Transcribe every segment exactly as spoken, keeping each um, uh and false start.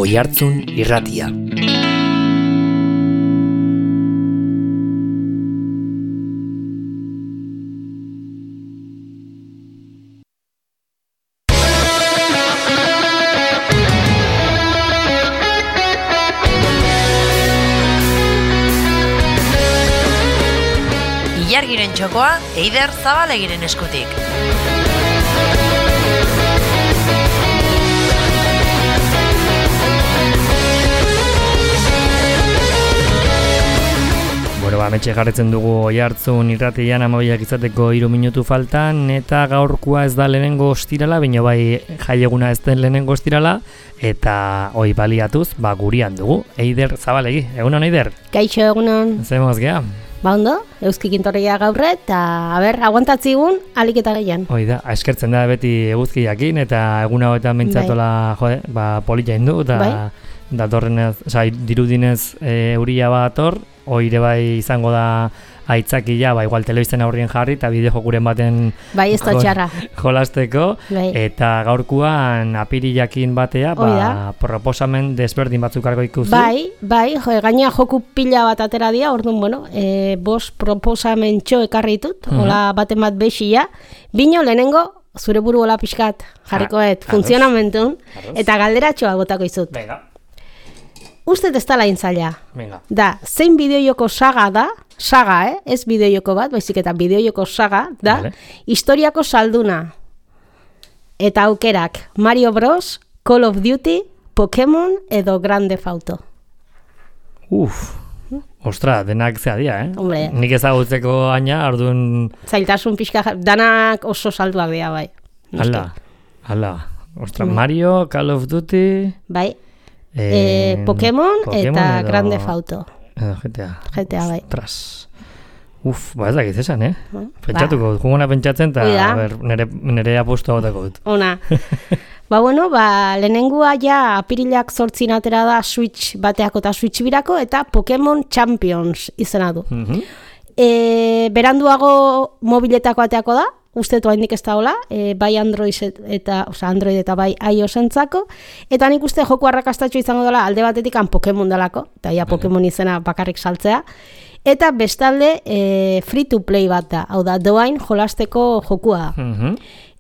Oihartzun Irratia. Ilargiren txokoa Eider Zabalegiren eskutik. Bueno, ba, metxe jarretzen dugu Oihartzun Irratian amabiak izateko hiru minutu faltan, eta gaurkoa ez da lehenengo ostirala, baina bai jaieguna ez den lehenengo ostirala, eta hoi baliatuz, ba, gurian dugu, Eider Zabalegi. Egunon, Eider? Kaixo, egunon. Zemoz gea? Ba ondo, euskik intorria gaurre, eta, a ber, aguantatzigun, alik eta gehian. Hoi da, eskertzen da beti eguzkiakin, eta eguna hauetan mentzatola, jode, ba, polita indu, eta bai. datorrenez, oza, dirudinez e, euria bat ator, oire bai izango da aitzakia, ba, igual telebisten aurrien jarri, eta bideojokuren baten bai, ez da txarra. jolasteko, Bai. eta gaurkuan apirilakin batea, ba, proposamen desberdin batzuk argo ikusi. Bai, bai, jo, gaina joku pila bat atera dia, orduan, bueno, e, bos proposamen txo ekarri ditut, Mhm. hola baten bat bexia, bino lehenengo, zure buru hola pixkat, jarrikoet, Ah, funtzionamentun, ados. eta galderatxoa botako izut. Venga, Uste ez dala intzaila. venga. Da, zein bideojoko saga da, saga, eh? Ez bideojoko bat, baizik eta bideojoko saga, da, Vale. historiako salduna. Eta aukerak, Mario Bros, Call of Duty, Pokémon edo Grand Theft Auto. Uf, ostra, denak zea dia, eh? Hombre. Nik ezagutzeko aina, orduan, Zailtasun pixka, ja- danak oso salduak dira, bai. ala, ala. Ostra, Bai. Mario, Call of Duty... Bai, eh, Pokémon, eta edo- Grand Theft Auto. Edo G T A. G T A, bai. Ostras. Uf, ba ez dakit esan, eh? Ba. Pentsatuko dut, jugona pentsatzen, eta Hoi da. a ber, nere, nere apustu agotako dut. Ona. Ba, bueno, ba, lehenengua ja apirilak zortzin atera da Switch bateako eta Switch birako, eta Pokémon Champions izena du. Mhm. E, beranduago mobiletako ateako da, uste du haindik ez da hola, e, bai Android et- eta, osea, Android eta bai iOS-entzako, eta nik uste joku arrakastatxo izango dela alde batetik han Pokémon delako, eta ja Pokémon izena bakarrik saltzea, eta bestalde e, free to play bat da, hau da, doain jolasteko jokua da. Mhm.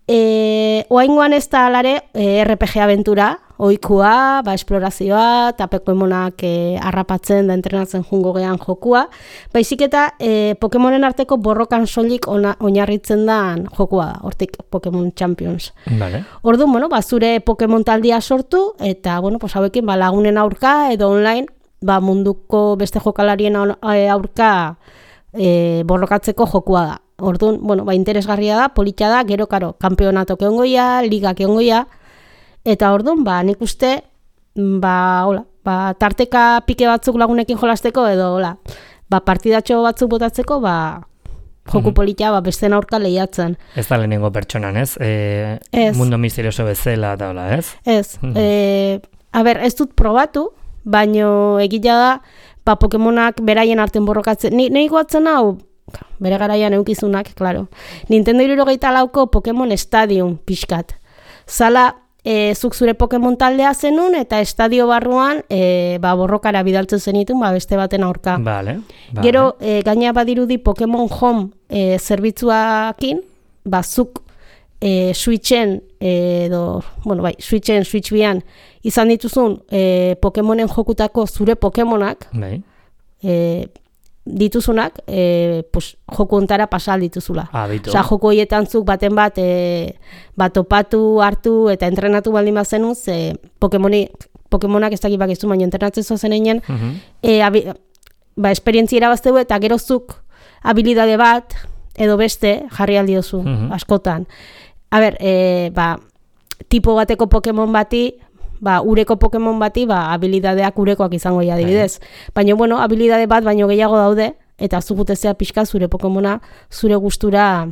E, oaingoan ez da alare e, R P G abentura, oikua, ba, esplorazioa, eta Pokemonak e, harrapatzen da entrenatzen jungo gean jokua, baizik eta e, Pokemonen arteko borrokan soilik ona- oinarritzen da jokua da, hortik Pokemon Champions. Vale. Orduan, bueno, ba, zure Pokemon taldia sortu, eta, bueno, pues, hauekin, ba, lagunen aurka, edo online, ba, munduko beste jokalarien au- e, aurka e, borrokatzeko jokua da. Orduan, bueno, ba, interesgarria da, polita da, gero, karo, kanpeonatok egongoia, ligak egongoia, eta orduan, ba, nik uste, ba, hola, ba, tarteka pike batzuk lagunekin jolasteko, edo, hola, ba, partidatxo batzuk botatzeko, ba, joku Mhm. polita, ba, besten aurka lehiatzen. Ez da lehenengo pertsonan, ez? E, Ez. Mundo misterioso bezala eta hola, ez? Ez, Mhm. e, a ber, ez dut probatu, baino egia da, ba, Pokemonak beraien arten borrokatzen, ni, nahi goatzen hau, bere garaian eukizunak, claro. Nintendo hirurogeita lauko Pokemon Stadium pixkat. Zala, e, zuk zure Pokemon taldea zenun, eta estadio barruan, e, ba, borrokara bidaltzen zenitun, ba, beste baten aurka. Vale. vale. Gero, e, gaina badirudi Pokemon Home e, zerbitzuakin, ba, zuk e, Switchen, e, edo, bueno, bai, Switchen, Switch bian, izan dituzun e, Pokemonen jokutako zure Pokemonak, Bai. e, dituzunak, e, pues, joku ontara pasal dituzula. Ah, bitu. Osa, joko horietan zuk baten bat, e, bat topatu, hartu, eta entrenatu baldin bazenuz, e, Pokemoni, Pokemonak ez dakit bakizu, baina entrenatzen zozen egin, Mhm. e, abi, ba, esperientzia irabazteu eta gerozuk habilidade bat edo beste jarri aldiozu, Mhm. askotan. A ber, e, ba, tipo bateko Pokemon bati, ba, ureko Pokemon bati, ba, habilidadeak urekoak izango ja adibidez. Baina, bueno, habilidade bat baino gehiago daude, eta zugutezea pixka zure Pokemona zure gustura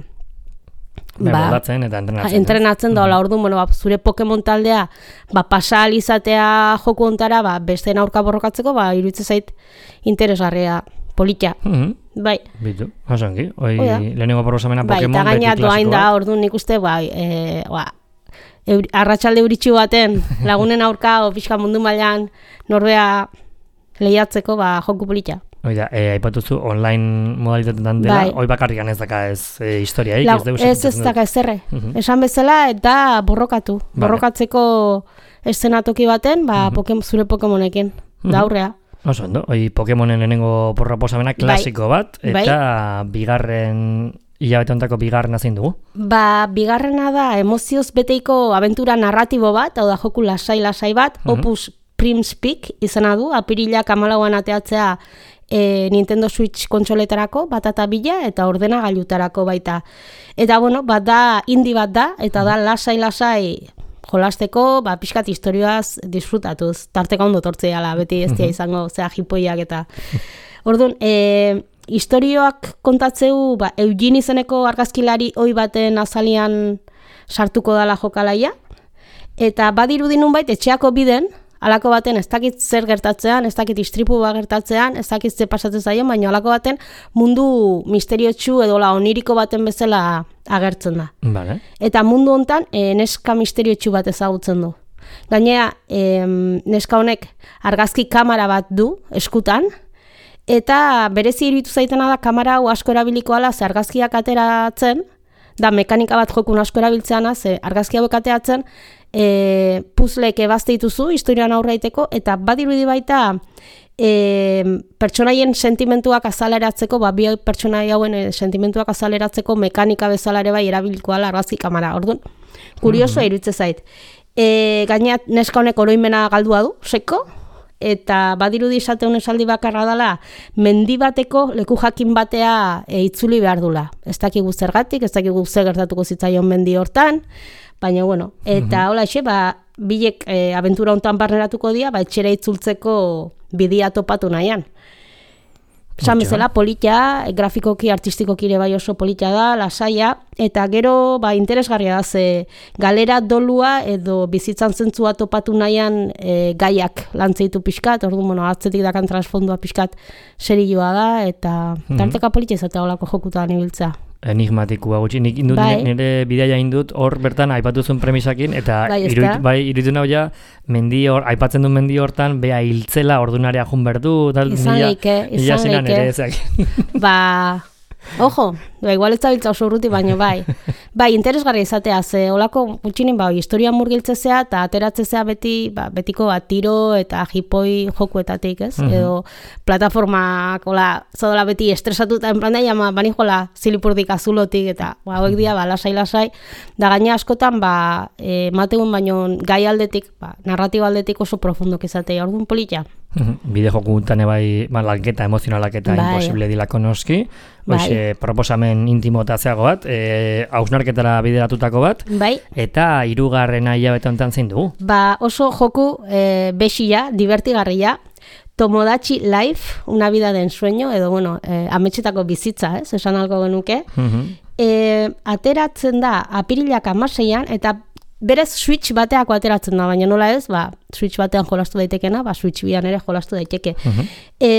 Bai, ba, moldatzen eta entrenatzen. ez? entrenatzen da, hola, orduan, bueno, ba, zure Pokemon taldea, ba, pasa ahal izatea joku ontara, ba, besteen aurka borrokatzeko, ba, iruditzen zait interesgarria, polita. Mhm. Bai, Bitu, osongi. Hoi Hoi da. lehenengo proposamena bai, Pokemon eta beti gaina doain da, klasikoa. orduan nik uste, bai, e, ba, euri, arratsalde euritxu baten lagunen aurka o pixka mundu mailan norbea lehiatzeko ba joku polita. Oida, e, aipatuzu online modalitatetan dela, bai. Hoi bakarrikan ez daka ez e, historiaik, La, ez deus. Ez ez daka ezerre. Uh -huh. Esan bezala eta borrokatu. Vale. Borrokatzeko eszenatoki baten, ba, uh -huh. Pokemon, zure Pokemonekin, uh -huh. da aurrea. Oso, ondo, hoi Pokemonen lehenengo proposamena klasiko bai. bat, eta bai. bigarren, hilabete hontako bigarrena zein dugu? Ba, bigarrena da emozioz beteiko abentura narratibo bat, hau da joku lasai-lasai bat, uh -huh. Opus Prime's Peak izena du, apirilak hamalauan ateatzea e, Nintendo Switch kontsoletarako, bat eta bila, eta ordenagailutarako baita. Eta, bueno, bat da, indie bat da, eta da lasai-lasai jolasteko, ba, pixkat historioaz disfrutatuz, tarteka ondo tortzeala, beti ez dia izango, zera jipoiak eta... Orduan, e, historioak kontatzeu, ba, Eugene izeneko argazkilari oi baten azalian sartuko dala jokalaia, eta badirudi nunbait etxeako biden, alako baten ez dakit zer gertatzean, ez dakit istripu bat gertatzean, ez dakit zer pasatzen zaien, baina alako baten mundu misteriotsu edo la oniriko baten bezala agertzen da. Vale. Eta mundu hontan e, neska misteriotsu bat ezagutzen du. Gainera, e, neska honek argazki kamera bat du eskutan, eta berezi iruditu zaitena da kamera hau asko erabiliko ala, ze argazkiak ateratzen, da mekanika bat jokun asko erabiltzeana, ze argazki hauek ateratzen, e, puzlek ebazte dituzu, historian aurreiteko, eta badirudi baita e, pertsonaien sentimentuak azaleratzeko, ba, bi pertsonai hauen e, sentimentuak azaleratzeko mekanika bezala ere bai erabiliko ala argazki kamera. Orduan, kuriosoa mm-hmm. iruditzen zait. E, Gainera, neska honek oroimena galdua du, seko, eta badirudi esateun esaldi bakarra dela, mendi bateko leku jakin batea e, itzuli behar dula. Ez dakigu zergatik, ez dakigu zer gertatuko zitzaion mendi hortan, baina bueno, eta hola mm-hmm. ba, bilek e, abentura hontan barneratuko dira, ba, etxera itzultzeko bidia topatu nahian. Esan bezala, polita, grafikoki, artistikoki ere bai oso polita da, lasaia, eta gero ba, interesgarria da, ze galera dolua edo bizitzan zentzua topatu nahian e, gaiak lantzeitu pixkat, orduan, bueno, atzetik dakan transfondua pixkat serioa da, eta mm-hmm. tarteka polita izatea olako jokutan ibiltzea. Enigmatikoa gutxi, nik indut bai. nire bidaia indut hor bertan aipatuzun premisakin, eta bai, iruditu bai, iruditu nahu ja, mendi hor, aipatzen du mendi hortan, bea hiltzela ordunarea jun berdu, tal, izan leike, izan leike. Ba, ojo, ba, igual ez da biltza oso urruti, baina bai. Bai, interesgarria izatea, ze olako gutxinin, ba, historia murgiltzezea eta ateratzezea beti, ba, betiko bat tiro eta jipoi jokuetatik, ez? Mm-hmm. Edo plataformak, ola, zadola beti estresatuta, en plan da, jama, bani jola zilipurdik azulotik, eta, ba, hauek dia, ba, lasai-lasai, da gaina askotan, ba, e, mategun baino gai aldetik, ba, narratiba aldetik oso profundok izatea, orduan polita. Bide joku guntan ebai ba, lanketa, emozionalak eta bai. Imposible dilako noski. Hoxe, bai. Proposamen intimotatzeago bat, e, hausnarketara bideratutako bat, bai. Eta hirugarrena hilabete honetan zein dugu? Ba, oso joku e, bexia, divertigarria, Tomodachi Life, una vida de ensueño, edo, bueno, e, ametxetako bizitza, ez, esan algo genuke. Uh-huh. e, ateratzen da, apirilak hamaseian, eta berez Switch bateako ateratzen da, baina nola ez, ba, Switch batean jolastu daitekena, ba, Switch bian ere jolastu daiteke. Uh-huh. e,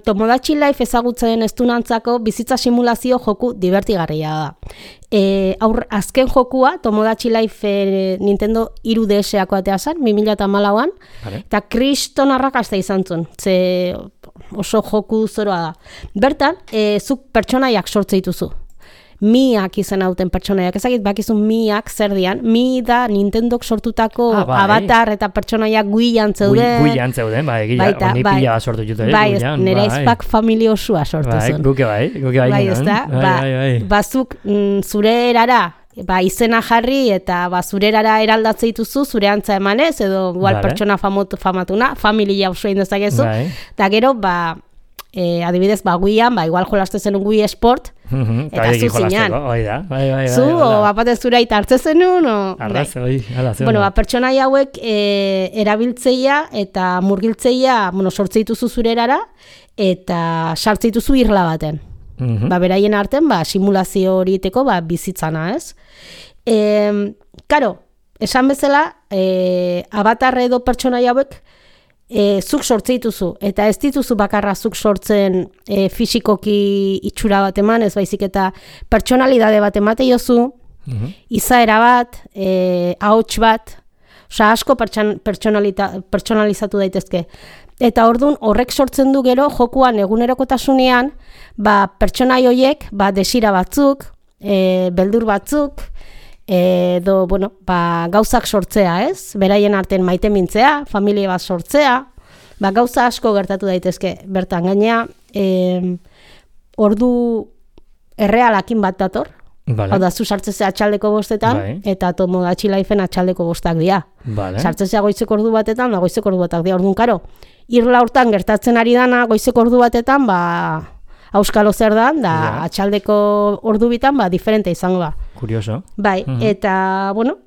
Tomodachi Life ezagutzen estunantzako bizitza simulazio joku divertigarria da. E, aur, azken jokua, Tomodachi Life e, Nintendo hiru D S-ako atea zen, bi mila hamalauan, vale. Eta kriston arrakasta izan zuen, ze oso joku zoroa da. Bertan, e, zuk pertsonaiak sortze dituzu. Miak izan hauten pertsonaiak, ezagit bakizun miak zer dian, mi da Nintendok sortutako ah, bai. Avatar eta pertsonaiak guian zeuden. Gui, guian zeuden, bai, gila, baita, honi bai. Pila sortu jute. Bai, guian, nire izpak bai. Familia osua sortu bai, zen. Guke bai, guke bai. Bai, ez da, bai, ba, bai, bai. bazuk mm, zure erara, ba, izena jarri eta ba, zure erara eraldatze dituzu, zure antza emanez, edo igual vale. Pertsona famatu, famatuna, familia oso indezakezu, bai. Eta gero, ba, E, adibidez, ba, guian, ba, igual jolaste zenun Wii Sport, mm-hmm, eta zu zinean. Bai, bai, bai, zu, o bapate zure aita hartze zenun, o... Arraz, bai, ala, zen. Bueno, ba, pertsonai hauek e, erabiltzeia eta murgiltzeia, bueno, sortze dituzu zure erara, eta sartze dituzu irla baten. Mm-hmm. Ba, beraien arten, ba, simulazio horieteko, ba, bizitzana, ez? E, karo, esan bezala, e, Avatar edo pertsonai hauek, E, zuk sortze dituzu, eta ez dituzu bakarra zuk sortzen e, fisikoki itxura bat eman, ez baizik eta pertsonalidade bat emate jozu, Mhm. izaera bat, e, ahots bat, osea asko pertsan- pertsonalita- pertsonalizatu daitezke. Eta ordun horrek sortzen du gero jokuan egunerokotasunean, ba pertsonai horiek, ba desira batzuk, e, beldur batzuk, edo bueno, ba, gauzak sortzea, ez? Beraien artean maite mintzea, familia bat sortzea, ba gauza asko gertatu daitezke. Bertan gainea, e, ordu errealakin bat dator. Vale. Hau da, zu sartzezea atxaldeko bostetan, Bai. eta Tomodachi Lifeen atxaldeko bostak dira. Vale. Sartzezea goizeko ordu batetan, da goizeko ordu batak dira. Orduan, karo, irla hortan gertatzen ari dana goizeko ordu batetan, ba, auskalo zer dan, da Ja. atxaldeko ordu bitan, ba, diferente izango da. Kurioso. Bai, Mhm. eta, bueno,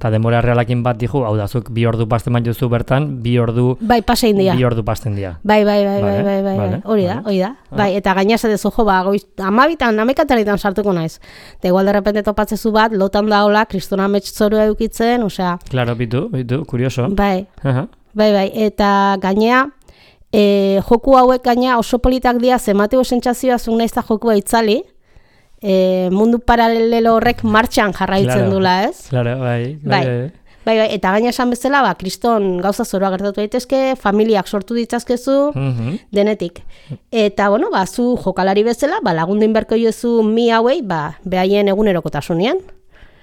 Eta denbora realakin bat dijo, hau da, zuk bi ordu pasten bat jozu bertan, bi ordu, bai, pasein dira. bi ordu pasten dira. Bai, bai, bai, Vale, bai, bai, bai, vale, bai, hori da, vale. hori da. Ah. Bai, eta gaina esatezu, jo, ba, goiz, amabitan, amekataritan sartuko naiz. Eta igual derrepente topatzezu bat, lotan da hola, kristona metxzorua eukitzen, osea, Claro, bitu, bitu, kurioso. bai, Aha. bai, bai, eta gainea, e, joku hauek gainea oso politak dira, zemateo sentsazioa zuk nahiz da jokua itzali, e, mundu paralelo horrek martxan jarraitzen Claro. dula, ez? Claro, bai. Bai. Bai, bai, eta gaina esan bezala, ba, kriston gauza zoroa gertatu daitezke, familiak sortu ditzazkezu, Mhm. denetik. Eta, bueno, ba, zu jokalari bezala, ba, lagundu inberko jozu mi hauei, ba, behaien egunerokotasunean.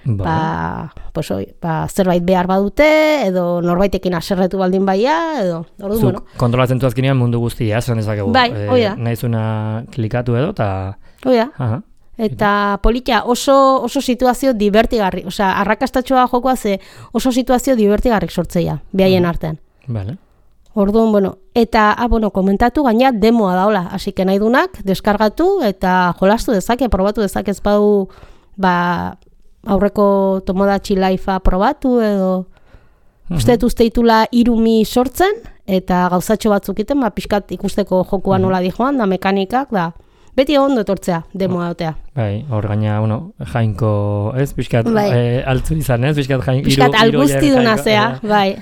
Ba, pues, oi, ba, zerbait behar badute, edo norbaitekin aserretu baldin baia, edo, ordu, Zuk bueno. kontrolatzen du azkenean mundu guztia, esan dezakegu. Bai, hoi da. Naizuna klikatu edo, eta... Oia, Aha. eta politia oso, oso situazio divertigarri, osea, arrakastatxoa jokoa ze oso situazio divertigarrik sortzeia, behaien artean. Vale. Orduan, bueno, eta, ah, bueno, komentatu gaina demoa daola, hasi que nahi dunak, deskargatu eta jolastu dezake, probatu dezake ez badu, ba, aurreko Tomodachi Lifea probatu edo, uste dut uste ditula irumi sortzen, eta gauzatxo batzuk iten, ba, pixkat ikusteko jokua nola dijoan, da mekanikak, da, beti ondo etortzea, demoa dotea. Bai, hor gaina, bueno, jainko, ez, pixkat, Bai. eh, altzu izan, ez, pixkat jainko. Piskat alguzti duna zea, bai,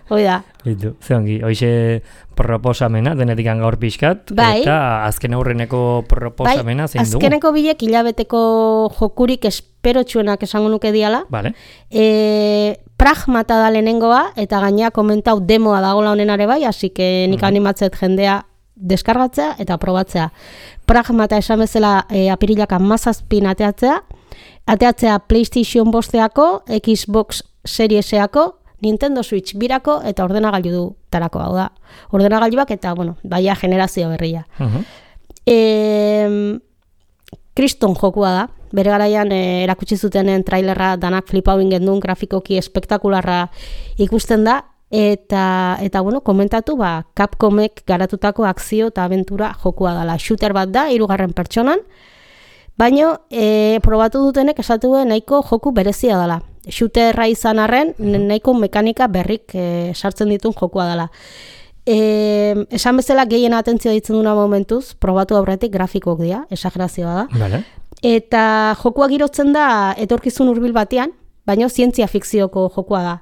hoi da. Bitu, ze ongi, hoxe proposamena, denetik gaur pixkat, Bai. eta azken aurreneko proposamena zein dugu. Azkeneko bilek hilabeteko jokurik esperotxuenak esango nuke diala. Vale. E, pragmata da lehenengoa, eta gaina komentau demoa dagoela honenare bai, hasi que nik animatzet jendea deskargatzea eta probatzea. Pragmata esan bezala e, apirilak hamazazpin ateatzea, ateatzea PlayStation bosteako, Xbox Serieseako, Nintendo Switch birako eta ordenagailu du tarako, hau da. Ordenagailuak eta, bueno, baia generazio berria. Mhm. E, kriston jokua da, bere garaian e, erakutsi zutenen trailerra danak flipau gendun, grafikoki espektakularra ikusten da, eta, eta bueno, komentatu, ba, Capcomek garatutako akzio eta abentura jokua dela. Shooter bat da, hirugarren pertsonan, baino e, probatu dutenek esatu nahiko joku berezia dela. Shooterra izan arren, nahiko mekanika berrik e, sartzen ditun jokua dela. E, esan bezala gehien atentzioa ditzen duna momentuz, probatu aurretik grafikoak dira, exagerazioa da. Vale. Eta jokua girotzen da etorkizun hurbil batean, baina zientzia fikzioko jokua da.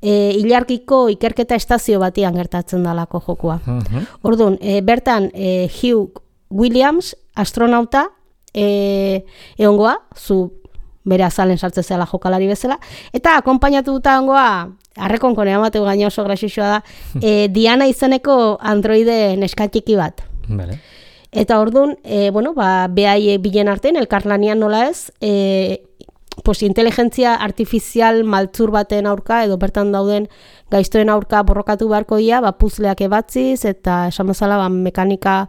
E, ilargiko ikerketa estazio batean gertatzen dalako jokua. Mhm. Orduan, e, bertan e, Hugh Williams, astronauta, e, egongoa, zu bere azalen sartzen zela jokalari bezala, eta akonpainatu duta egongoa, arrekonkon eamateu gaina oso grasixoa da, e, Diana izeneko androide neskatxiki bat. Vale. Eta orduan, e, bueno, ba, behai bilen artean, elkarlanian nola ez, e, pues, inteligentzia artifizial maltzur baten aurka, edo bertan dauden gaiztoen aurka borrokatu beharko dira, ba, puzleak ebatziz, eta esan bezala, ba, mekanika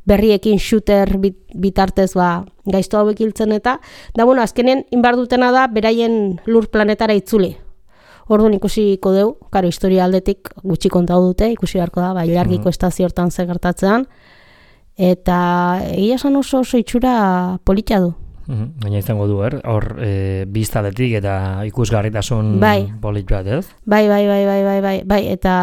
berriekin shooter bit, bitartez ba, gaizto hauek hiltzen eta, da, bueno, azkenen inbar dutena da, beraien lur planetara itzuli. Orduan ikusiko deu, karo, historia aldetik gutxi kontau dute, ikusi beharko da, ba, ilargiko estazio hortan ze gertatzean, eta egia esan oso oso itxura polita du. Mhm. Baina izango du, er? Hor, e, biztaletik eta ikusgarritasun Bai. polit bat, ez? Bai, bai, bai, bai, bai, bai, bai, eta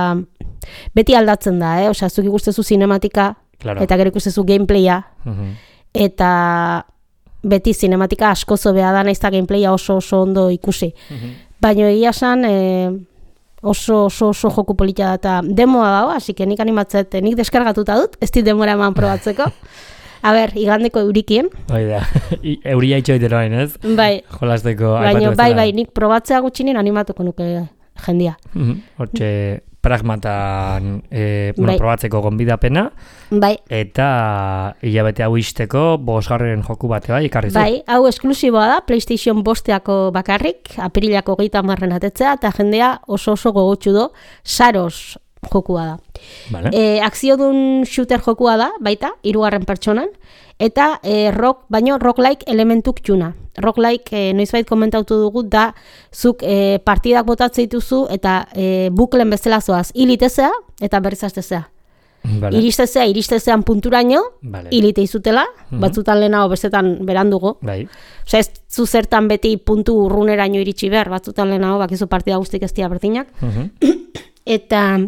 beti aldatzen da, eh? Osea, zuk ikustezu sinematika, Claro. eta gero ikustezu gameplaya, Mhm. eta beti sinematika asko zobea da, nahiz eta gameplaya oso oso ondo ikusi. Baina egia esan, e, oso, oso, oso joku polita da, eta demoa dago, hasi que nik animatzet, nik deskargatuta dut, ez dit demora eman probatzeko. A ber, igandeko eurikien. Hoi da, euria itxoitero hain, ez? Bai. Jolasteko Baina, bai, bai, nik probatzea gutxinen animatuko nuke jendia. Hortxe, pragmatan e, bueno, bai. probatzeko gonbidapena. Bai. Eta hilabete hau isteko bosgarren joku bate bai, ikarri zu. Bai, hau esklusiboa da, PlayStation bosteako bakarrik, apirilako geita marren atetzea, eta jendea oso oso gogotsu do, Saros jokua da. Vale. E, akziodun shooter jokua da, baita, hirugarren pertsonan, eta e, rock, baino rock-like elementuk txuna. Rock-like, e, noizbait komentautu dugu, da zuk e, partidak botatzen dituzu eta e, buklen bezala zoaz, hilitezea eta berriz hastezea. Vale. Iristezea, iristezean punturaino, Vale. hilite izutela, Mhm. batzutan lehenago bestetan berandugo. Bai. Osea, ez zu zertan beti puntu urruneraino iritsi behar, batzutan lehenago, bakizu partida guztik ez dira berdinak. Mhm. Eta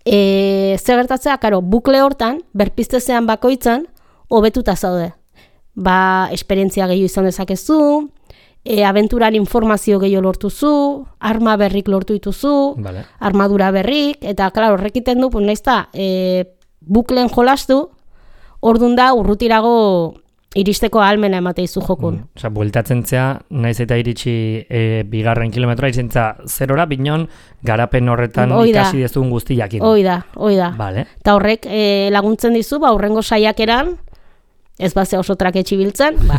e, zer gertatzea, karo, bukle hortan, berpiztezean bakoitzan, hobetuta zaude. Ba, esperientzia gehiago izan dezakezu, e, abenturan informazio gehiago lortuzu, arma berrik lortu dituzu, Vale. armadura berrik, eta, klaro, horrekiten du, pues, naizta, e, buklen jolastu, ordun da, urrutirago iristeko ahalmena emate izu jokun. Mm. Osa, bueltatzen zea, naiz eta iritsi e, bigarren kilometroa, izentza zerora, binon, garapen horretan Hoi da. ikasi dezun guzti jakin. Hoi da, hoi da. Vale. Eta horrek e, laguntzen dizu, ba, urrengo saiakeran, ez bazea oso traketxi biltzen, ba,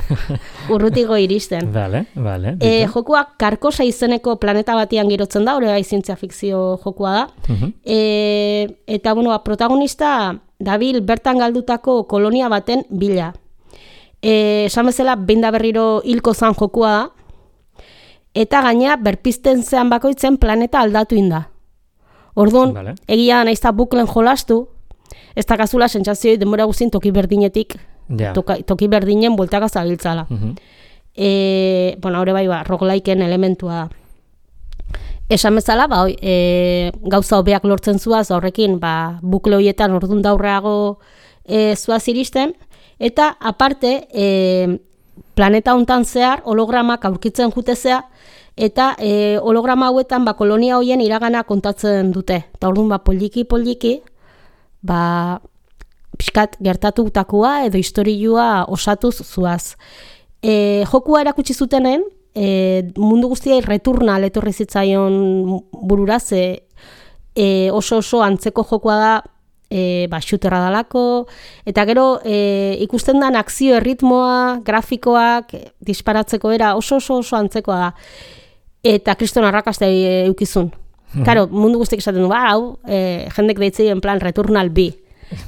urrutigo iristen. Vale, vale. E, jokua Karkosa izeneko planeta batian girotzen da, hori bai zientzia fikzio jokua da. Mhm. E, eta, bueno, ba, protagonista dabil bertan galdutako kolonia baten bila. E, esan bezala, behin da berriro hilko zan jokua da, eta gaina berpizten zean bakoitzen planeta aldatu inda. Orduan, Vale. egia da naizta buklen jolastu, ez da kasula sentsazioi denbora guztien toki berdinetik, Ja. toka, toki berdinen bueltaka zabiltzala. Mhm. E, bueno, hori bai, ba, rogueliken elementua da. Esan bezala, ba, oi, e, gauza hobeak lortzen zuaz, horrekin, ba, bukle horietan ordun daurreago e, zuaz iristen, eta aparte, e, planeta hontan zehar hologramak aurkitzen jutezea, eta e, holograma hauetan ba, kolonia hoien iragana kontatzen dute. Eta orduan, ba, poliki-poliki, ba, pixkat gertatutakoa edo historioa osatuz zuaz. E, jokua erakutsi zutenen, e, mundu guztiai Returnal etorri zitzaion burura, ze e, oso oso antzeko jokua da, e, ba, shooterra dalako, eta gero e, ikusten dan akzio erritmoa, grafikoak, e, disparatzeko era oso oso oso antzekoa da. Eta kriston arrakasta e, eukizun. Karo, mundu guztiak esaten du, ba, hau, e, jendek deitzei en plan Returnal bi.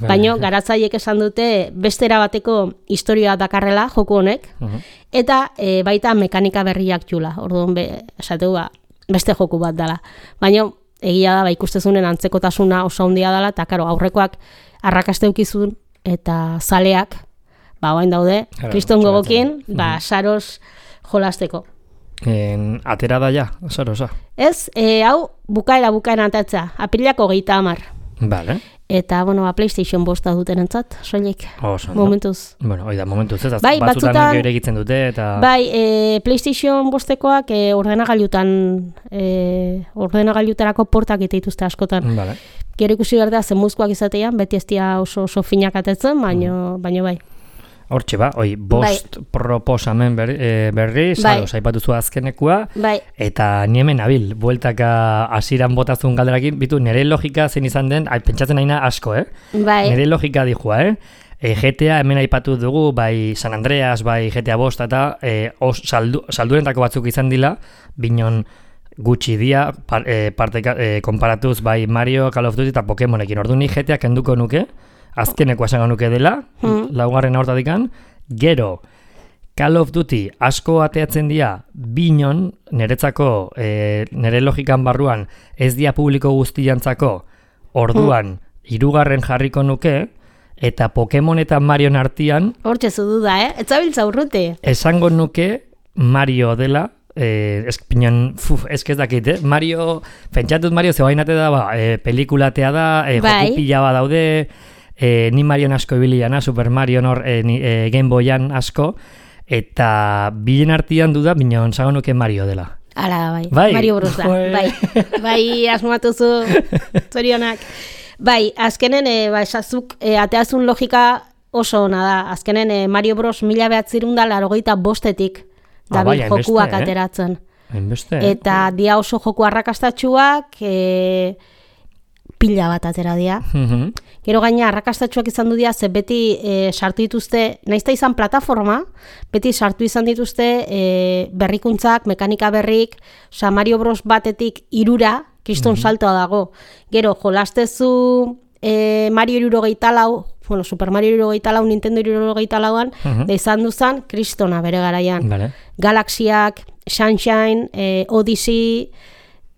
Baina garatzaiek esan dute beste erabateko historia dakarrela joku honek, Mhm. eta e, baita mekanika berriak jula. Orduan, be, esateu, ba, beste joku bat dela. Baina egia da, ba, ikustezunen antzekotasuna oso handia dela, eta karo, aurrekoak arrakasteukizun eta zaleak, ba, oain daude, Claro, kriston txoratzen. gogokin, ba, Saros jolasteko. En, atera da ja, Sarosa. Ez, e, hau, bukaera bukaera atatza, apirilako geita amar. Vale. Eta, bueno, ba, PlayStation bosta duten entzat, soilik, Oso, no? momentuz. Bueno, oida, momentuz ez, Bai, batzutan batzutan- gero egiten dute, eta... Bai, e, PlayStation bostekoak e, ordenagailutan, e, ordenagailutarako portak ite dituzte askotan. Vale. Gero ikusi behar da, zenbuzkoak izatean, beti ez dira oso, oso finak atetzen, baino, baino bai. Hortxe ba, oi, bost proposamen ber, e, berri, Bai. Saros aipatu zu azkenekua, Bai, eta ni hemen nabil, bueltaka hasiran botazun galderakin, bitu, nire logika zein izan den, ai, pentsatzen naina asko, eh? bai, Nire logika dijua, eh? E, G T A hemen aipatu dugu, bai San Andreas, bai G T A bost, eta e, os, saldu, saldurentako batzuk izan dila, binon gutxi dia, par, e, parte, e, konparatuz bai Mario, Call of Duty eta Pokemonekin. Ordu ni G T A kenduko nuke, azkeneko esango nuke dela, Hmm. laugarren hortatikan, gero, Call of Duty asko ateatzen dira binon, niretzako, e, nire logikan barruan, ez dia publiko guztiantzako, orduan, hirugarren jarriko nuke, eta Pokemon eta Marion artean, hortxe zu duda, eh? Ez zabiltza urruti. esango nuke Mario dela, eh, ez, pinon, fuf, ez ez dakit, eh? Mario, pentsatut Mario zebainate da, ba, eh, pelikulatea da, eh, Bai. joku pila ba daude, eh, ni Marion asko ibiliana, Super Mario nor, eh, ni, eh, Game Boyan asko, eta bilen artean duda, binon, esango nuke Mario dela. Ala, bai, Bai. Mario Bros da, Joe. bai, bai, asmatuzu, zorionak. Bai, azkenen, e, ba, esazuk, e, ateazun logika oso ona da. Azkenen eh, Mario Bros mila behatzirun da larogeita bostetik Ah, dabil bai, hainbeste, jokuak eh? ateratzen. Hainbeste. Eta dia oso joku arrakastatsuak, e, pila bat atera dira. Mhm. Gero gaina arrakastatsuak izan du dira, ze beti e, sartu dituzte, naizta izan plataforma, beti sartu izan dituzte e, berrikuntzak, mekanika berrik, oza, Mario Bros batetik irura, kriston Mhm. saltoa dago. Gero, jolastezu e, Mario irurogeita lau, bueno, Super Mario irurogeita lau, Nintendo irurogeita lauan, Mhm. da izan duzan, kristona bere garaian. Vale. Galaxiak, Sunshine, eh, Odyssey,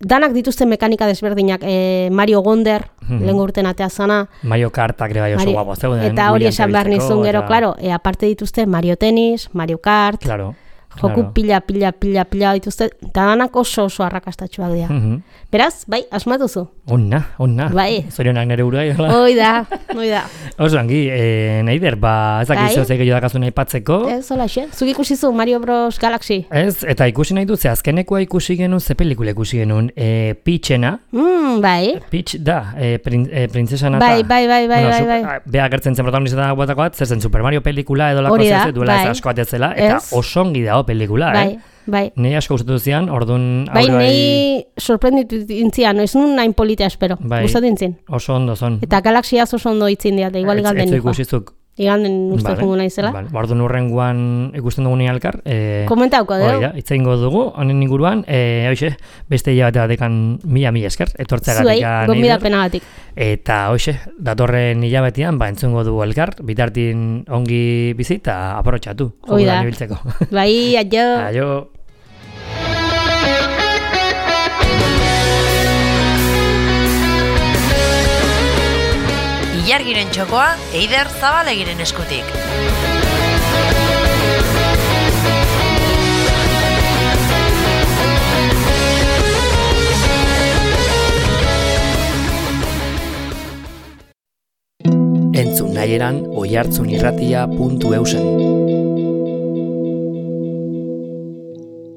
danak dituzte mekanika desberdinak, eh, Mario Wonder, Mhm. lehen urten atea zana, Mario Kartak ere bai oso Mario- guapo zeuden. eta hori gurean esan behar erabiltzeko, nizun gero, eta- claro, e, aparte dituzte Mario Tennis, Mario Kart, Claro. joku claro. pila, pila, pila, pila dituzte, eta danak oso oso arrakastatxuak dira. Mhm. Beraz, bai, asmatuzu. Onna, onna. Bai. Zorionak nere buruai, hola. Hoi da, hoi da. Oso ongi, eh, Neider, ba, ez Bai. dakizu zeik gehiago dakazun aipatzeko. Ez, hola xe. Zuk ikusi zu Mario Bros. Galaxy. Ez, eta ikusi nahi dut, ze azkenekoa ikusi genuen, ze pelikula ikusi genuen, e, Peachena, Mm, bai. Peach da, e, prin, e, printzesa nata. Bai, bai, bai, bai, Bueno, bai, su- bai. a, Bea gertzen zen protagonista batako bat, zer zen Super Mario pelikula edo lako Hori da, zer duela bai. ez asko atetzela, eta Ez. oso ongi dago pelikula, Bai, eh? bai. Nei asko gustatu zian, orduan Bai, aurre nahi sorprenditu intzian, ez nun nahin politea espero, Bai. gustatu intzin. oso ondo zon. Eta galaxiaz oso ondo itzin dira, eta igual Ez- igalden ez nikoa. ikusizuk. Igalden uste Vale, jungo naizela. vale. Orduan urrengoan ikusten dugu alkar. E, Komentauko, Hori dugu? da, hitz egingo dugu, honen inguruan, e, hoxe, beste hilabete batekan mila mila esker, etortzeagatik. Zuei, gonbidapenagatik. Eta hoxe, datorren hilabetean, ba, entzungo dugu elkar, bitartin ongi bizi eta aprotxatu. Hoi da. Ibiltzeko. Bai, aio. Aio. Ilargiren txokoa, Eider Zabalegiren eskutik. Entzun nahieran oihartzunirratia puntu eusen.